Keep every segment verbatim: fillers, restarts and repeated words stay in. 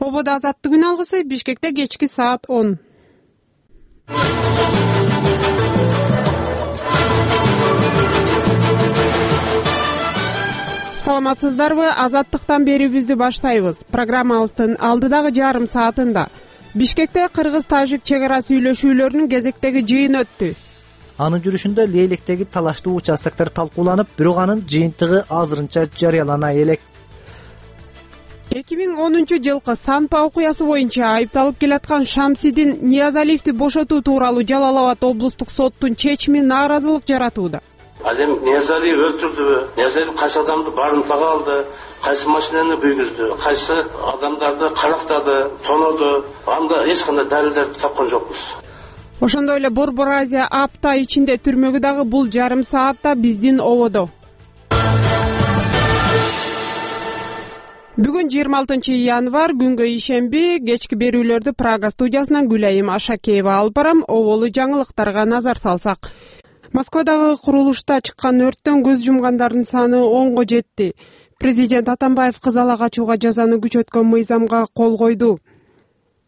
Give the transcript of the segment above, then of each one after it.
Ободо азаттык күн алгысы Бишкекте кечки саат он. Саламатсыздарбы? Азаттыктан берүүбүздү баштайбыз. Программабыздын алдыдагы жарым саатында Бишкекте кыргыз-тажик чек ара сүйлөшүүлөрүнүн кезектеги жыйыны өттү. Анын жүрүшүндө Лейлектеги талаштуу участоктор талкууланып, бирок анын жыйынтыгы азырынча жарыялана элек. эки миң онунчу жылкы Санпа окуясы боюнча айыпталып келаткан Шамсидин Ниязалиевди бошотуу тууралуу Жалал Абад облустук соттун чечими нааразылык жаратууда. Ал эми Ниязалиев өлтүрдүбү? Ниязалиев кайсы адамды барымтага алды, кайсы машинаны күйгүздү, кайсы адамдарды карактады, тоноду? Анда эч кандай далилдерди тапкан жокпуз. Ошондой эле Борбор Азия апта ичинде түрмөгү дагы бул жарым саатта биздин ободо. Бүгүн жыйырма алтынчы январь, күнгө ишемби, кечки берүүлөрдү Прага студиясынан Гүлайым Ашакеева алып барам. Оболу жаңылыктарга назар салсак. Москвадагы курулушта чыккан өрттөн көз жумгандардын саны онго жетти. Президент Атамбаев кыз ала качууга жазаны күчөткөн мыйзамга кол койду.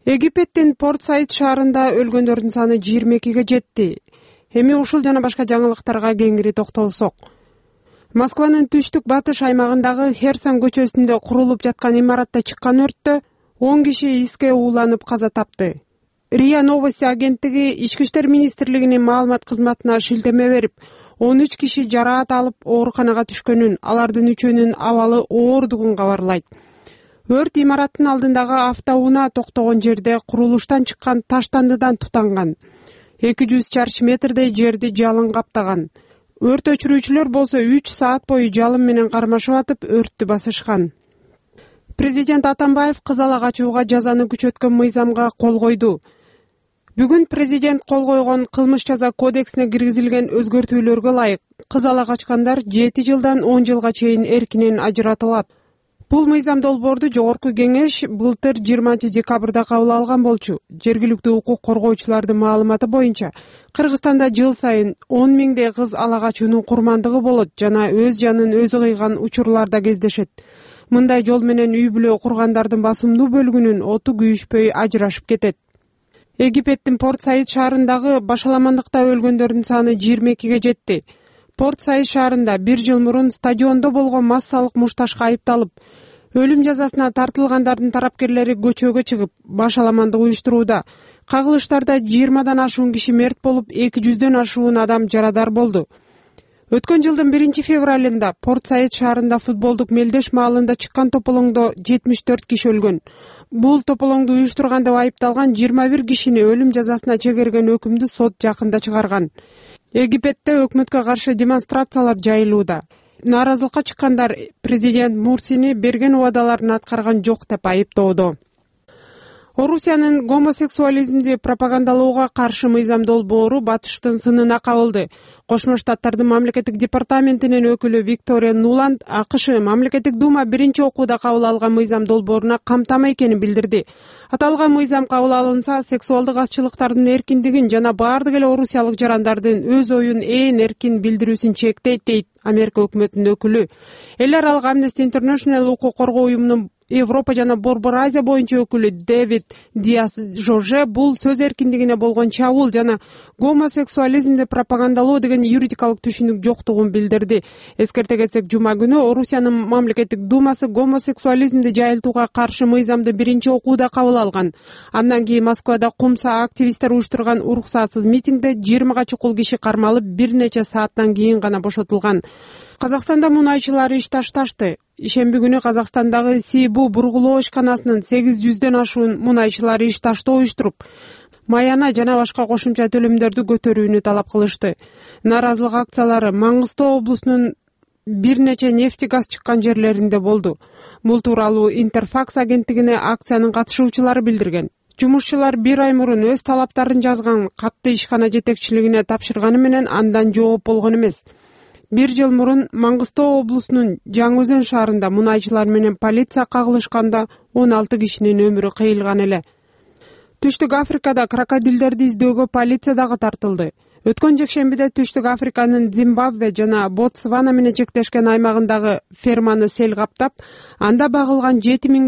Египеттин Порт-Саид шаарында өлгөндөрдүн саны жыйырма экиге жетти. Эми ушул жана башка жаңылыктарга кеңири токтолсок. Москванын түштүк батыш аймагындагы Херсон көчөсүндө курулуп жаткан имаратта чыккан өрттө он киши иске ууланып каза тапты. РИА Новости агенттиги Ички иштер министрлигинин маалымат кызматына шилтеме берип, он үч киши жараат алып ооруканага түшкөнүн, алардын үчөөнүн абалы оордугун кабарлайт. Өрт имараттын алдындагы автоунаа токтогон жерде курулуштан чыккан таштандыдан тутанган. эки жүз чарчы метрдей жерди жалын каптаган. Өрт өчүрүүчүлөр болсо үч саат бою жалын менен кармашып атып, өрттү басышкан. Президент Атамбаев кыз ала качууга жазаны күчөткөн мыйзамга кол койду. Бүгүн президент кол койгон кылмыш жаза кодексине киргизилген өзгөртүүлөргө ылайык кыз ала качкандар жети жылдан он жылга чейин эркинен ажыратылат. Бул мыйзам долбоорду жогорку кеңеш былтыр жыйырманчы декабрда кабыл алган болчу. Жергиликтүү укук коргоочулардын маалыматы боюнча, Кыргызстанда жыл сайын он миңдей кыз ала качуунун курмандыгы болот жана өз жанын өзү кыйган учурлар да кездешет. Мындай жол менен үй бүлө кургандардын басымдуу бөлүгүнүн оту күйүшпөй ажырашып кетет. Египеттин Порт-Саид шаарындагы башаламандыкта өлгөндөрдүн саны жыйырма экиге жетти. Порт-Саид шаарында бир жыл мурун стадиондо болгон массалык мушташка айыпталып, өлүм жазасына тартылгандардын тарапкерлери көчөгө чыгып, башаламандык уюштурууда. Кагылыштарда жыйырмадан ашуун киши мерт болуп, эки жүздөн ашуун адам жарадар болду. Өткөн жылдын биринчи февралында Порт-Саид шаарында футболдук Мелдеш маалында чыккан тополоңдо жетимиш төрт киши өлгөн. Бул тополоңду уюштурган деп айыпталган жыйырма бир кишини өлүм жазасына чегерген өкүмдү сот жакында чыгарган. Египетте өкмөткө каршы демонстрациялар жайылууда. Нааразылыкка чыккандар президент Мурсини берген убадаларын аткарган жок деп айыптоодо. Орусиянын гомосексуализмди пропагандалоого каршы мыйзам долбоору батыштын сынына кабылды. Кошмо Штаттардын мамлекеттик департаментинин өкүлү Виктория Нуланд АКШ мамлекеттик дума биринчи окууда кабыл алган мыйзам долбооруна камтама экенин билдирди. Аталган мыйзам кабыл алынса, сексуалдык азчылыктардын эркиндигин жана баардык эле орусиялык жарандардын өз оюн ээн эркин билдирүүсүн чектейт, дейт Америка өкмөтүнүн өкүлү. Эл аралык Amnesty International укук коргоо уюмунун Европа жана Борбор Азия боюнча өкүлү Дэвид Диас Жорже бул сөз эркиндигине болгон чабуул жана гомосексуализмди пропагандалоо деген юридикалык түшүнүк жоктугун билдирди. Эскерте кетсек, жума күнү Орусиянын мамлекеттик думасы гомосексуализмди жайылтууга каршы мыйзамды биринчи окууда кабыл алган. Андан кийин Москвада кумса активисттер уюштурган уруксатсыз митингде жыйырмага чукул киши кармалып, бир нече сааттан кийин гана бошотулган. Казакстанда мунайчылар иш ташташты. Ишемби күнү Казакстандагы Сибу бургулоо ишканасынын сегиз жүздөн ашуун мунайчылар иш таштоо уюштуруп, маяна жана башка кошумча төлөмдөрдү көтөрүүнү талап кылышты. Нааразылык акциялары Маңгыстоо облусунун бир нече нефти газ чыккан жерлеринде болду. Бул тууралуу Интерфакс агенттигине акциянын катышуучулары билдирген. Жумушчулар бир ай мурун өз талаптарын жазган катты ишкана жетекчилигине тапшырганы менен андан жооп болгон эмес. Бир жыл мурун Маңгыстоо облусунун Жаңы Өзөн шаарында мунайчылар менен полиция кагылышканда он алты кишинин өмүрү кыйылган эле. Түштүк Африкада крокодилдерди издөөгө полиция дагы тартылды. Өткөн жекшембиде Түштүк Африканын Зимбабве жана Ботсвана менен чектешкен аймагындагы ферманы сел каптап, анда багылган жети миң